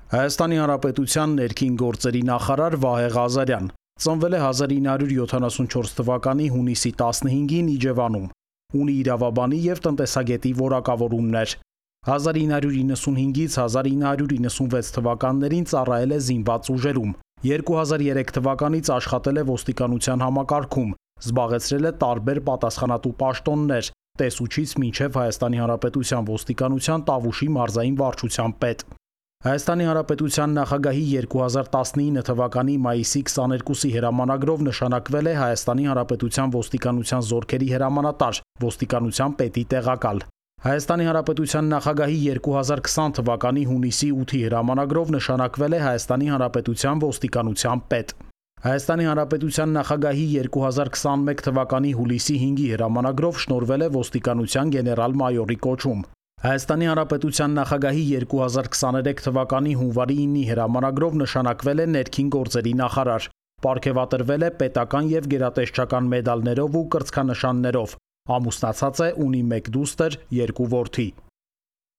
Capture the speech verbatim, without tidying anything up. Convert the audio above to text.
Հայաստանի Հանրապետության ներքին գործերի նախարար Վահե Ղազարյան ծնվել է հազար ինը հարյուր յոթանասունչորս թվականի հունիսի տասնհինգին Իջևանում, ունի իրավաբանի և տնտեսագետի որակավորումներ։ հազար ինը հարյուր իննսունհինգից հազար ինը հարյուր իննսունվեց թվականներին ծառայել է զինված ուժերում, երկու հազար երեք թվականից աշխատել է ոստիկանության համակարգում, զբաղեցրել է տարբեր պատասխանատու պաշտոններ՝ տեսուչից մինչև Հայաստանի Հանրապետության ոստիկանության Տավուշի մարզային վարչության պետ։ Հայաստանի Հանրապետության նախագահի երկու հազար տասնինը թվականի մայիսի քսաներկուսի հրամանագրով նշանակվել է Հայաստանի Հանրապետության ոստիկանության զորքերի հրամանատար, ոստիկանության պետի տեղակալ։ Հայաստանի Հանրապետության նախագահի երկու հազար քսան թվականի հունիսի ութի հրամանագրով նշանակվել է Հայաստանի Հանրապետության ոստիկանության պետ։ Հայաստանի Հանրապետության նախագահի երկու հազար քսանմեկ թվականի հուլիսի հինգի հրամանագրով շնորհվել է ոստիկանության գեներալ-մայորի կոչում։ Հայաստանի Հանրապետության նախագահի երկու հազար քսաներեք թվականի հունվարի ինի հրամանագրով նշանակվել է ներքին գործերի նախարար, պարգևատրվել է պետական և գերատեսչական մեդալներով ու կրծքանշաններով, ամուսնացած է, ունի մեկ դուստր, երկու որդի։